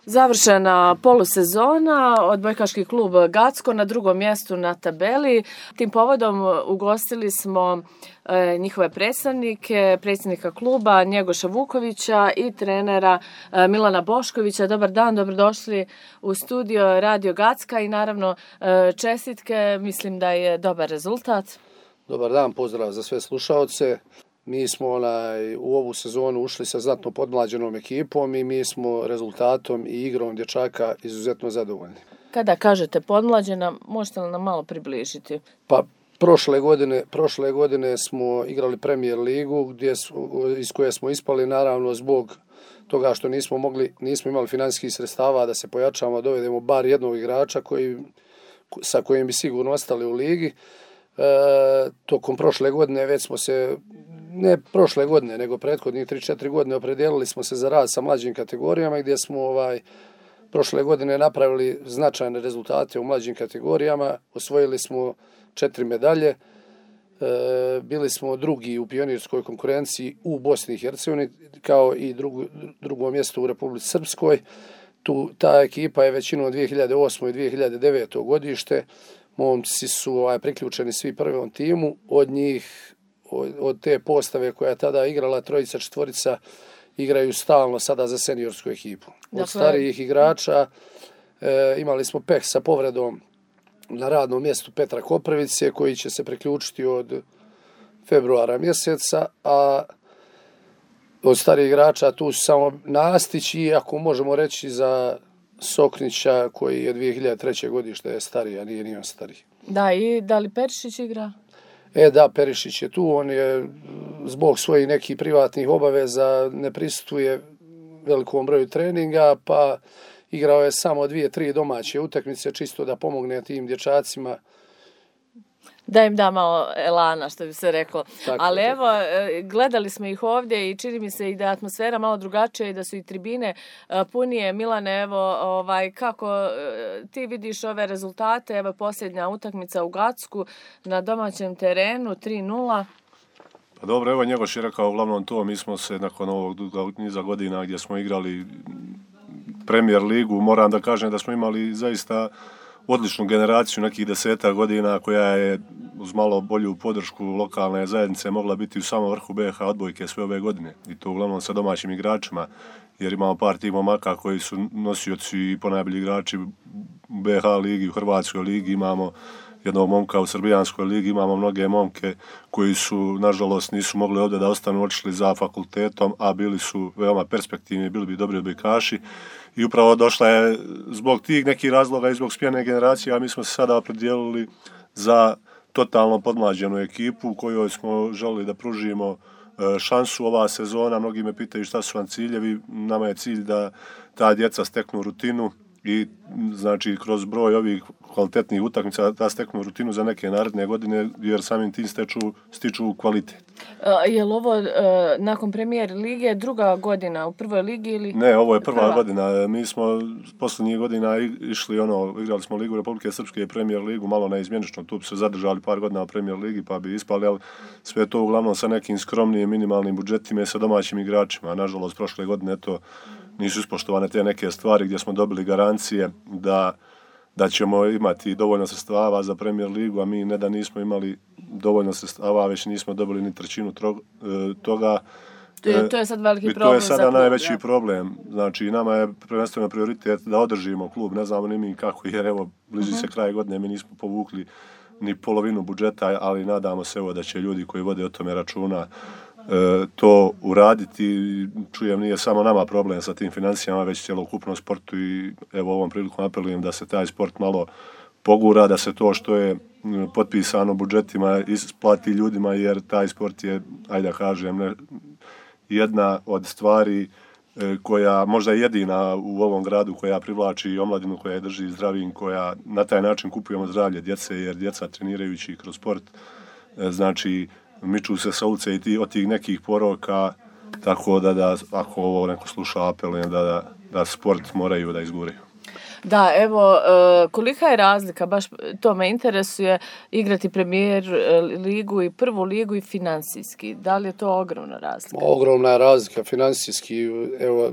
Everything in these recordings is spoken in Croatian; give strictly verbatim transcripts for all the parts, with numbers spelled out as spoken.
Završena polusezona, odbojkaški klub Gacko na drugom mjestu na tabeli. Tim povodom ugostili smo e, njihove predstavnike, predsjednika kluba Njegoša Vukovića i trenera e, Milana Boškovića. Dobar dan, dobrodošli u studio Radio Gacka i naravno e, čestitke, mislim da je dobar rezultat. Dobar dan, pozdrav za sve slušaoce. Mi smo onaj, u ovu sezonu ušli sa znatno podmlađenom ekipom i mi smo rezultatom i igrom dječaka izuzetno zadovoljni. Kada kažete podmlađena, možete li nam malo približiti? Pa prošle godine, prošle godine smo igrali Premier ligu gdje su, iz koje smo ispali naravno zbog toga što nismo mogli, nismo imali financijskih sredstava da se pojačamo, dovedemo bar jednog igrača koji, sa kojim bi sigurno ostali u ligi. E, tokom prošle godine već smo se, ne prošle godine, nego prethodnih tri četiri godine opredijelili smo se za rad sa mlađim kategorijama gdje smo ovaj, prošle godine napravili značajne rezultate u mlađim kategorijama, osvojili smo četiri medalje, e, bili smo drugi u pionirskoj konkurenciji u Bosni i Hercegovini kao i drugo, drugo mjesto u Republici Srpskoj. Tu, ta ekipa je većinom dvije hiljade osme i dvije hiljade devete godište. Momci su ovaj, priključeni svi prvom timu, od njih, od, od te postave koja je tada igrala, trojica, četvorica, igraju stalno sada za seniorsku ekipu. Od dakle, starijih igrača e, imali smo peh sa povredom na radnom mjestu Petra Koprivice, koji će se priključiti od februara mjeseca, a od starijih igrača tu su samo Nastić i ako možemo reći za Soknića koji je dvije hiljade treće godište je stariji, a nije ni on stariji. Da, i da li Perišić igra? E da, Perišić je tu, on je zbog svojih nekih privatnih obaveza ne prisustuje velikom broju treninga, pa igrao je samo dvije, tri domaće utakmice čisto da pomogne tim dječacima. Da im da malo elana, što bi se reklo. Tako, ali tako. evo, gledali smo ih ovdje i čini mi se i da je atmosfera malo drugačija i da su i tribine punije. Milane, evo, ovaj, kako ti vidiš ove rezultate? Evo posljednja utakmica u Gacku na domaćem terenu, tri nula. Pa dobro, evo Njegoš je rekao uglavnom to, mi smo se nakon ovog niza godina gdje smo igrali Premier ligu, moram da kažem da smo imali zaista odličnu generaciju nekih deseta godina koja je uz malo bolju podršku lokalne zajednice mogla biti u samom vrhu B H odbojke sve ove godine. I to uglavnom sa domaćim igračima, jer imamo par tih momaka koji su nosioci i ponajbolji igrači u B H ligi, u Hrvatskoj ligi, imamo jednog momka u Srbijanskoj ligi, imamo mnoge momke koji su, nažalost, nisu mogli ovdje da ostanu, otišli za fakultetom, a bili su veoma perspektivni, bili bi dobri odbojkaši. I upravo došla je zbog tih nekih razloga i zbog smjene generacije, a mi smo se sada opredijelili za totalno podmlađenu ekipu kojoj smo želili da pružimo šansu ova sezona. Mnogi me pitaju šta su vam ciljevi, nama je cilj da ta djeca steknu rutinu i znači kroz broj ovih kvalitetnih utakmica da steknu rutinu za neke naredne godine, jer samim tim steču, stiču kvalitet. Uh, je li ovo uh, nakon Premier lige druga godina u prvoj ligi ili? Ne, ovo je prva, prva godina. Mi smo posljednjih godina išli, ono, igrali smo Ligu Republike Srpske i Premier ligu, malo neizmjenično, tu bi se zadržali par godina u Premier ligi pa bi ispali, ali sve to uglavnom sa nekim skromnijim minimalnim budžetima i sa domaćim igračima. Nažalost, prošle godine to nisu ispoštovane te neke stvari gdje smo dobili garancije da, da ćemo imati dovoljno sredstava za Premier ligu, a mi ne da nismo imali dovoljno sredstava, već nismo dobili ni trećinu trog, toga. To je, to je sad veliki problem. To je sada klub, najveći ja. problem. Znači, nama je prvenstveno prioritet da održimo klub. Ne znamo ni mi kako, jer evo, bliži uh-huh. se kraj godine, mi nismo povukli ni polovinu budžeta, ali nadamo se evo da će ljudi koji vode o tome računa E, to uraditi. Čujem, nije samo nama problem sa tim financijama, već cjelokupnom sportu i evo ovom prilikom apelujem da se taj sport malo pogura, da se to što je potpisano budžetima isplati ljudima, jer taj sport je, ajde da kažem, ne, jedna od stvari e, koja možda je jedina u ovom gradu koja privlači omladinu, koja je drži zdravim, koja na taj način kupujemo zdravlje djece, jer djeca trenirajući kroz sport e, znači miču se sa ulice i ti, od tih nekih poroka, tako da, da ako ovo neko sluša apelujem da, da, da sport moraju da izguraju. Da, evo, kolika je razlika, baš to me interesuje, igrati premijer ligu i prvu ligu i finansijski. Da li je to ogromna razlika? Ogromna je razlika finansijski. Evo,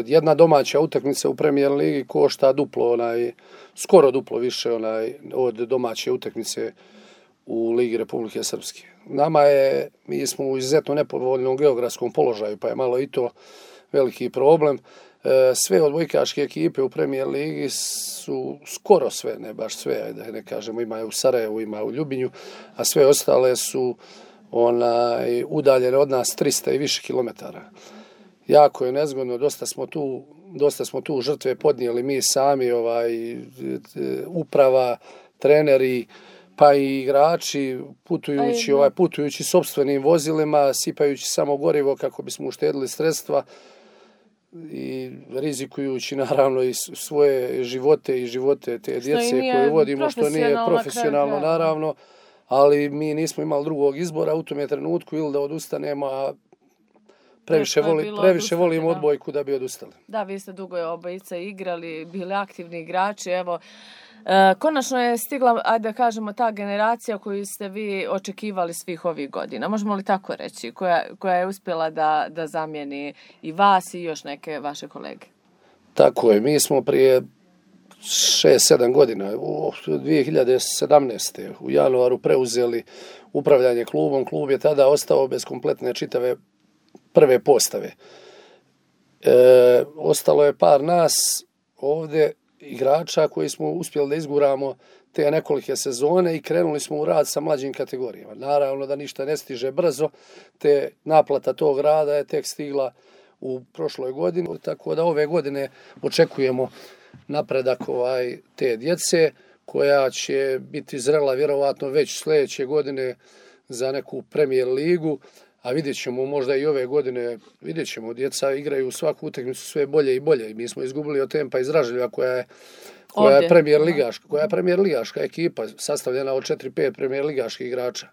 jedna domaća utakmica u premijer ligi košta duplo, onaj, skoro duplo više onaj, od domaće utakmice u Ligi Republike Srpske. Nama je, mi smo u izuzetno nepovoljnom geografskom položaju, pa je malo i to veliki problem. Sve odbojkaške ekipe u premijer ligi su skoro sve, ne baš sve, da ne kažemo, ima u Sarajevu, ima u Ljubinju, a sve ostale su onaj, udaljene od nas trista i više kilometara. Jako je nezgodno, dosta smo tu, dosta smo tu žrtve podnijeli mi sami, ovaj, uprava, treneri, pa i igrači, putujući, ovaj, putujući sopstvenim vozilima, sipajući samo gorivo kako bismo uštedili sredstva i rizikujući naravno i svoje živote i živote te djece koje vodimo, što nije profesionalno naravno, ali mi nismo imali drugog izbora u tome trenutku ili da odustanemo, a previše, voli, previše volimo odbojku da bi odustali. Da, vi ste dugo obojica igrali, bili aktivni igrači, evo, E, konačno je stigla, ajde da kažemo, ta generacija koju ste vi očekivali svih ovih godina. Možemo li tako reći? Koja, koja je uspjela da, da zamijeni i vas i još neke vaše kolege? Tako je. Mi smo prije šest sedam godina, u dvije hiljade sedamnaeste. u januaru preuzeli upravljanje klubom. Klub je tada ostao bez kompletne čitave prve postave. E, ostalo je par nas ovdje igrača koji smo uspjeli da izguramo te nekolike sezone i krenuli smo u rad sa mlađim kategorijama. Naravno da ništa ne stiže brzo, te naplata tog rada je tek stigla u prošloj godini, tako da ove godine očekujemo napredak ovaj, te djece koja će biti zrela vjerovatno već sljedeće godine za neku premijer ligu, a vidjet ćemo možda i ove godine, vidjet ćemo, djeca igraju svaku utakmicu sve bolje i bolje. Mi smo izgubili od Tempa iz Ražlja koja je, koja je premijer ligaška, koja je premijer ligaška ekipa sastavljena od četiri pet premijer ligaških igrača,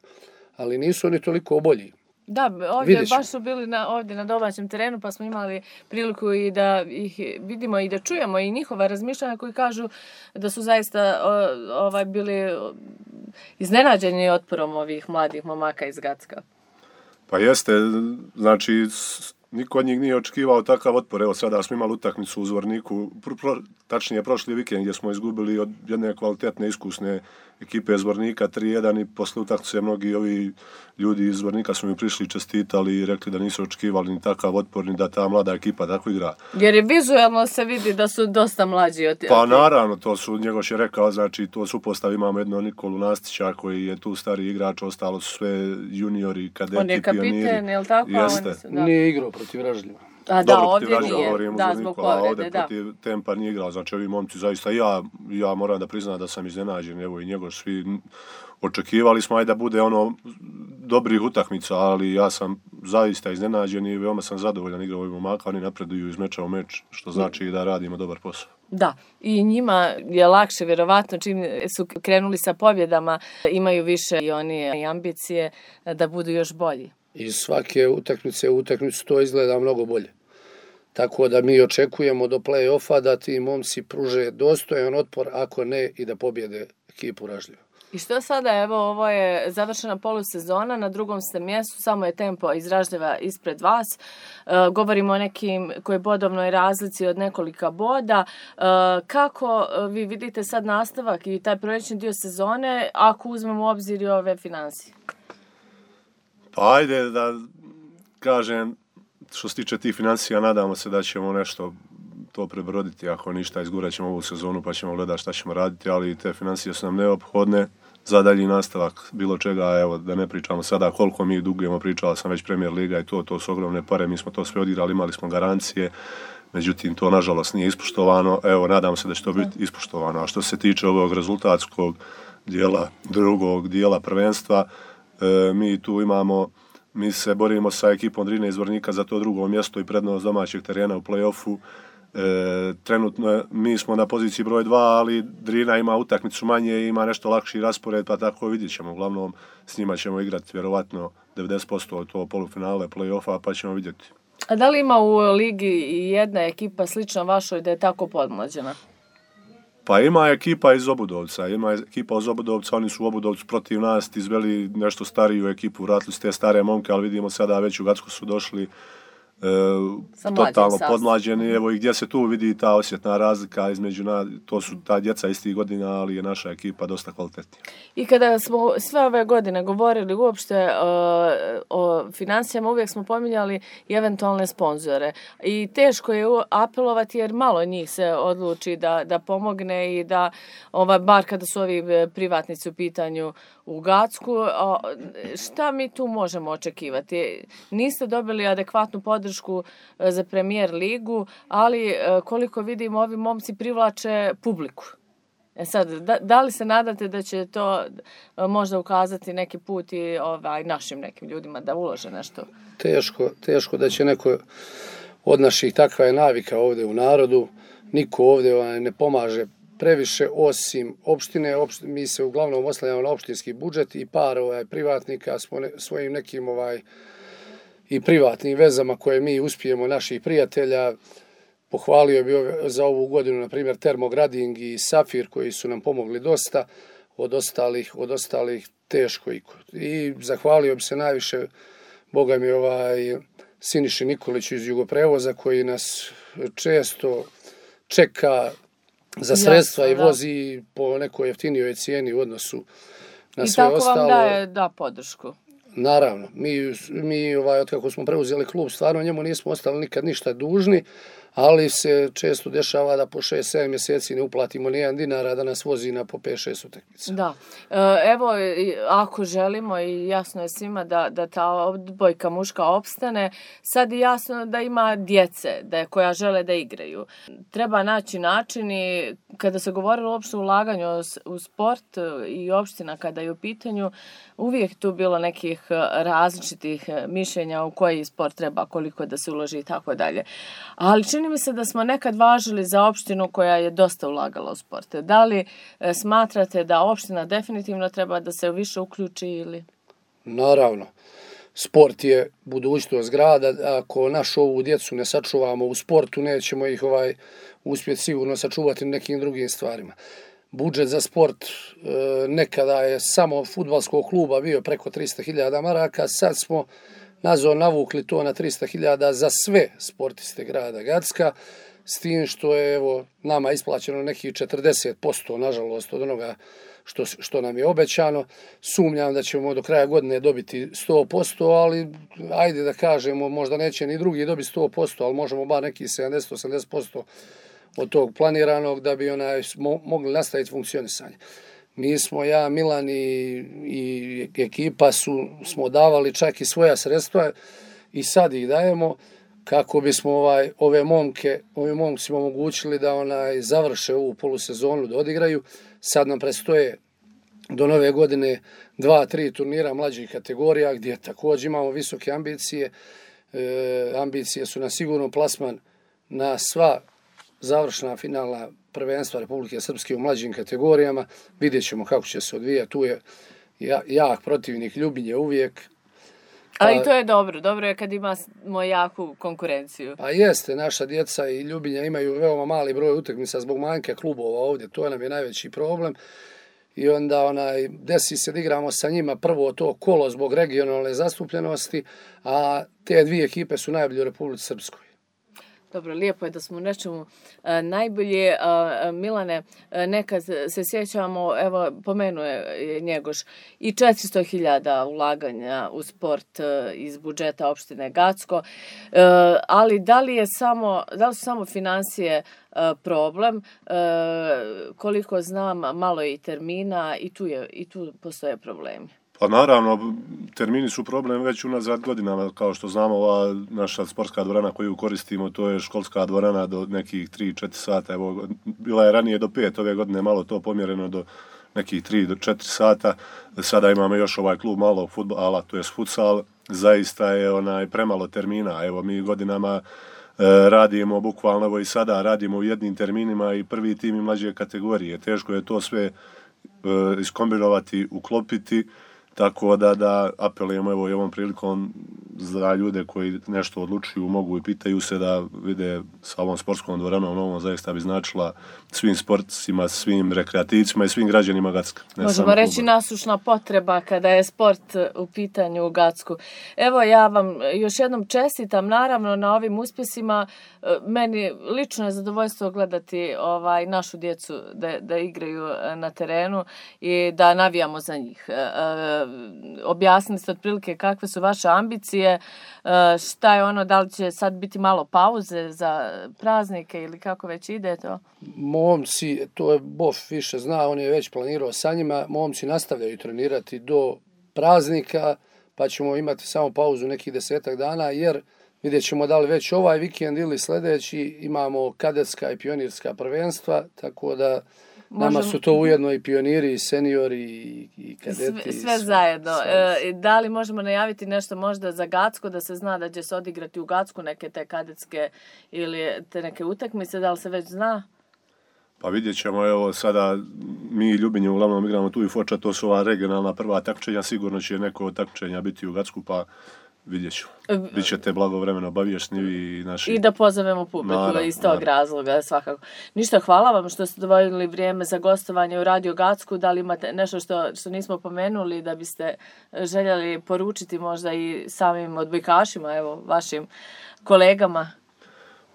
ali nisu oni toliko bolji. Da, ovdje baš su bili na, ovdje na domaćem terenu, pa smo imali priliku i da ih vidimo i da čujemo i njihova razmišljanja koji kažu da su zaista o, ovaj, bili iznenađeni otporom ovih mladih momaka iz Gacka. Pa jeste, znači niko od njih nije očekivao takav otpor. Evo sada smo imali utakmicu u Zvorniku, pro, pro, tačnije prošli vikend gdje smo izgubili od jedne kvalitetne iskusne ekipe Zvornika tri jedan i posle utakmice mnogi ovi ljudi iz Zvornika su mi prišli, čestitali i rekli da nisu očekivali ni takav otpor ni da ta mlada ekipa tako igra. Jer je vizualno se vidi da su dosta mlađi od... Pa naravno, to su, Njegoš je rekao, znači to su postav, imamo jedno Nikolu Nastića koji je tu stari igrač, ostalo su sve juniori, kadeti, on je kapiten, pioniri. Je li tako? Jeste. Su, da. Nije igrao protiv Ražljiva. A da, Dobro, ovdje nije, da, zbog povrede, ovdje da. protiv Tempa nije igrao, znači ovi momci zaista, ja, ja moram da priznam da sam iznenađen, evo i Njegoš, svi očekivali smo aj da bude ono dobrih utakmica, ali ja sam zaista iznenađen i veoma sam zadovoljan igrao ovih momaka, oni napreduju iz meča u meč, što znači da radimo dobar posao. Da, i njima je lakše, vjerovatno, čim su krenuli sa pobjedama, imaju više i oni ambicije da budu još bolji. Iz svake utakmice u utakmicu to izgleda mnogo bolje. Tako da mi očekujemo do play-offa da ti momci pruže dostojan otpor, ako ne i da pobjede ekipu Ražljiva. I što sada, evo, ovo je završena polusezona, na drugom ste mjestu, samo je Tempo iz Ražljeva ispred vas. E, govorimo o nekim koji bodovnoj razlici od nekolika boda. E, kako vi vidite sad nastavak i taj proljećni dio sezone, ako uzmemo u obzir i ove financije? Pa ajde da kažem, što se tiče tih financija, nadamo se da ćemo nešto to prebroditi, ako ništa izgurat ćemo ovu sezonu pa ćemo gledati šta ćemo raditi, ali te financije su nam neophodne za dalji nastavak bilo čega, evo da ne pričamo sada koliko mi dugujemo, pričala sam već Premier Liga i to, to su ogromne pare, mi smo to sve odigrali, imali smo garancije, međutim to nažalost nije ispoštovano, evo nadam se da će to biti ispoštovano, a što se tiče ovog rezultatskog dijela, drugog dijela prvenstva, e, mi tu imamo, mi se borimo sa ekipom Drine iz Zvornika za to drugo mjesto i prednost domaćeg terena u play-offu. E, trenutno mi smo na poziciji broj dva, ali Drina ima utakmicu manje i ima nešto lakši raspored, pa tako vidjet ćemo. Uglavnom s njima ćemo igrati vjerovatno devedeset posto to polufinale play-offa, pa ćemo vidjeti. A da li ima u ligi i jedna ekipa slična vašoj da je tako podmlađena? Pa ima ekipa iz Obudovca, ima ekipa iz Obudovca, oni su u Obudovcu protiv nas izveli nešto stariju ekipu, vratili su te stare momke, ali vidimo sada već u Gacko su došli e, totalno podmlađeni, evo i gdje se tu vidi ta osjetna razlika između nas, to su ta djeca istih godina, ali je naša ekipa dosta kvalitetnija. I kada smo sve ove godine govorili uopšte o, o financijama, uvijek smo pominjali i eventualne sponzore. I teško je apelovati jer malo njih se odluči da, da pomogne i da, ova, bar kada su ovi privatnici u pitanju u Gacku, o, šta mi tu možemo očekivati? Niste dobili adekvatnu podršku za Premier ligu, ali koliko vidimo ovi momci privlače publiku. E sad, da, da li se nadate da će to možda ukazati neki put i ovaj, našim nekim ljudima da ulože nešto? Teško, teško da će neko od naših, takva je navika ovdje u narodu, niko ovdje ovaj, ne pomaže previše osim opštine. Opšt, mi se uglavnom oslanjamo na opštinski budžet i par ovaj, privatnika smo ne, svojim nekim ovaj, i privatnim vezama koje mi uspijemo naših prijatelja. Pohvalio bi za ovu godinu, na primjer, Termograding i Safir, koji su nam pomogli dosta, od ostalih, od ostalih teško. I zahvalio bi se najviše, Boga mi, ovaj, Siniši Nikoliću iz Jugoprevoza, koji nas često čeka za sredstva Jasno, i vozi da. po nekoj jeftinijoj cijeni u odnosu na I sve ostalo. I tako vam daje da podršku. Naravno, mi, mi ovaj, od kako smo preuzeli klub, stvarno njemu nismo ostali nikad ništa dužni, ali se često dešava da po šest sedam mjeseci ne uplatimo nijedan dinar, a da nas vozi na po pet šest utakmica. Da, evo, ako želimo i jasno je svima da, da ta odbojka muška opstane, sad je jasno da ima djece da, koja žele da igraju. Treba naći način i kada se govorilo uopšte o ulaganju u sport i opština kada je u pitanju, uvijek tu bilo nekih različitih mišljenja u koji sport treba, koliko da se uloži i tako dalje. Ali čini mi se da smo nekad važili za opštinu koja je dosta ulagala u sport. Da li e, smatrate da opština definitivno treba da se više uključi ili? Naravno. Sport je budućnost grada. Ako našu ovu djecu ne sačuvamo u sportu, nećemo ih ovaj uspjeti sigurno sačuvati nekim drugim stvarima. Budžet za sport e, nekada je samo fudbalskog kluba bio preko trista hiljada maraka, sad smo nazor navukli to na trista hiljada za sve sportiste grada Gacka, s tim što je evo, nama isplaćeno nekih četrdeset posto, nažalost, od onoga što, što nam je obećano. Sumnjam da ćemo do kraja godine dobiti sto posto, ali ajde da kažemo, možda neće ni drugi dobiti sto posto, ali možemo bar nekih sedamdeset do osamdeset posto od tog planiranog da bi onaj mo, mogli nastaviti funkcionisanje. Mi smo, ja, Milan i, i ekipa su, smo davali čak i svoja sredstva i sad ih dajemo kako bismo ovaj, ove momke, ove momcima omogućili da onaj završe ovu polusezonu, da odigraju. Sad nam predstoje do nove godine dva, tri turnira mlađih kategorija gdje također imamo visoke ambicije. E, ambicije su na sigurno plasman na sva završna finalna prvenstva Republike Srpske u mlađim kategorijama. Vidjet ćemo kako će se odvijati. Tu je jak protivnik Ljubinje uvijek. Ali i to je dobro. Dobro je kad imamo jaku konkurenciju. Pa jeste, naša djeca i Ljubinja imaju veoma mali broj utakmica zbog manjka klubova ovdje. To nam je najveći problem. I onda onaj, desi se da igramo sa njima prvo to kolo zbog regionalne zastupljenosti, a te dvije ekipe su najbolje u Republici Srpskoj. Dobro, lijepo je da smo u nečemu a, najbolje. A, Milane, a, nekad se sjećamo, evo, pomenuje Njegoš, i četiristo hiljada ulaganja u sport a, iz budžeta opštine Gacko, a, ali da li, je samo, da li su samo financije a, problem? A, koliko znam, malo je i termina i tu, je, i tu postoje problemi. Pa naravno, termini su problem već unazad godinama, kao što znamo, ova naša sportska dvorana koju koristimo, to je školska dvorana do nekih tri četiri sata, evo, bila je ranije do pet, ove godine malo to pomjereno do nekih tri do četiri sata, sada imamo još ovaj klub malog fudbala, to je futsal, zaista je onaj premalo termina, evo mi godinama e, radimo, bukvalno evo i sada radimo u jednim terminima i prvi tim i mlađe kategorije, teško je to sve e, iskombinovati, uklopiti. Tako da, da apelujemo evo i ovom prilikom za ljude koji nešto odlučuju, mogu i pitaju se da vide sa ovom sportskom dvoranom novom zaista bi značila svim sportcima, svim rekreativcima i svim građanima Gacka. Možemo reći nasušna potreba kada je sport u pitanju u Gacku. Evo ja vam još jednom čestitam naravno na ovim uspjesima. Meni lično je zadovoljstvo gledati ovaj, našu djecu da, da igraju na terenu i da navijamo za njih. E, objasnili ste otprilike kakve su vaše ambicije, e, šta je ono, da li će sad biti malo pauze za praznike ili kako već ide to? Momci, to je Bof više zna, on je već planirao sa njima, momci nastavljaju trenirati do praznika, pa ćemo imati samo pauzu nekih desetak dana, jer vidjet ćemo da li već ovaj vikend ili sljedeći imamo kadetska i pionirska prvenstva, tako da nama Možem... su to ujedno i pioniri, i seniori, i, i kadeti. Sve, sve zajedno. Sve. E, da li možemo najaviti nešto možda za Gacko, da se zna da će se odigrati u Gacku neke te kadetske ili te neke utakmice, da li se već zna? Pa vidjet ćemo, evo sada mi Ljubinje uglavnom igramo tu i Foča, to su ova regionalna prva takmičenja, sigurno će neko od takmičenja biti u Gacku, pa vidjet ću. Bićete blagovremeno obaviješni i naši... I da pozovemo publiku naravno, iz tog naravno. razloga svakako. Ništa, hvala vam što ste dovoljili vrijeme za gostovanje u Radio Gacku. Da li imate nešto što, što nismo pomenuli da biste željeli poručiti možda i samim odbojkašima, evo, vašim kolegama?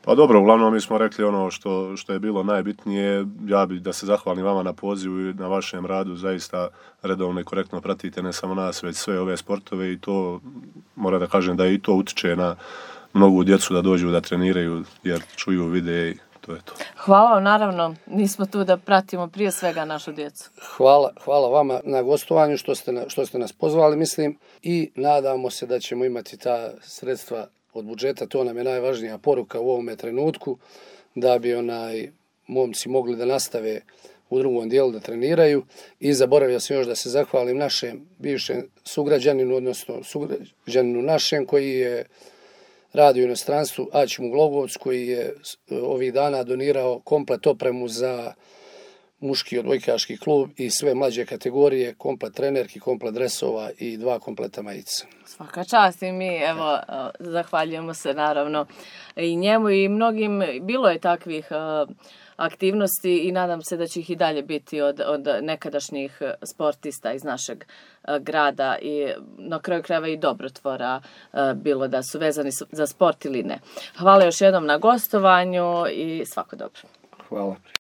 Pa dobro, uglavnom mi smo rekli ono što, što je bilo najbitnije. Ja bih da se zahvalim vama na pozivu i na vašem radu. Zaista redovno i korektno pratite ne samo nas, već sve ove sportove i to, moram da kažem da i to utiče na mnogu djecu da dođu da treniraju jer čuju, vide i to je to. Hvala vam, naravno, nismo tu da pratimo prije svega našu djecu. Hvala, hvala vama na gostovanju što ste, na, što ste nas pozvali, mislim, i nadamo se da ćemo imati ta sredstva od budžeta, to nam je najvažnija poruka u ovome trenutku, da bi onaj momci mogli da nastave u drugom dijelu da treniraju. I zaboravio sam još da se zahvalim našem bivšem sugrađaninu, odnosno sugrađaninu našem koji je radio u inostranstvu, Aćimu Glogovac, koji je ovih dana donirao komplet opremu za muški odbojkaški klub i sve mlađe kategorije, komplet trenerki, komplet dresova i dva kompleta majica. Svaka čast i mi, evo, zahvaljujemo se naravno i njemu i mnogim, bilo je takvih aktivnosti i nadam se da će ih i dalje biti od, od nekadašnjih sportista iz našeg grada i na kraju krajeva i dobrotvora, bilo da su vezani za sport ili ne. Hvala još jednom na gostovanju i svako dobro. Hvala.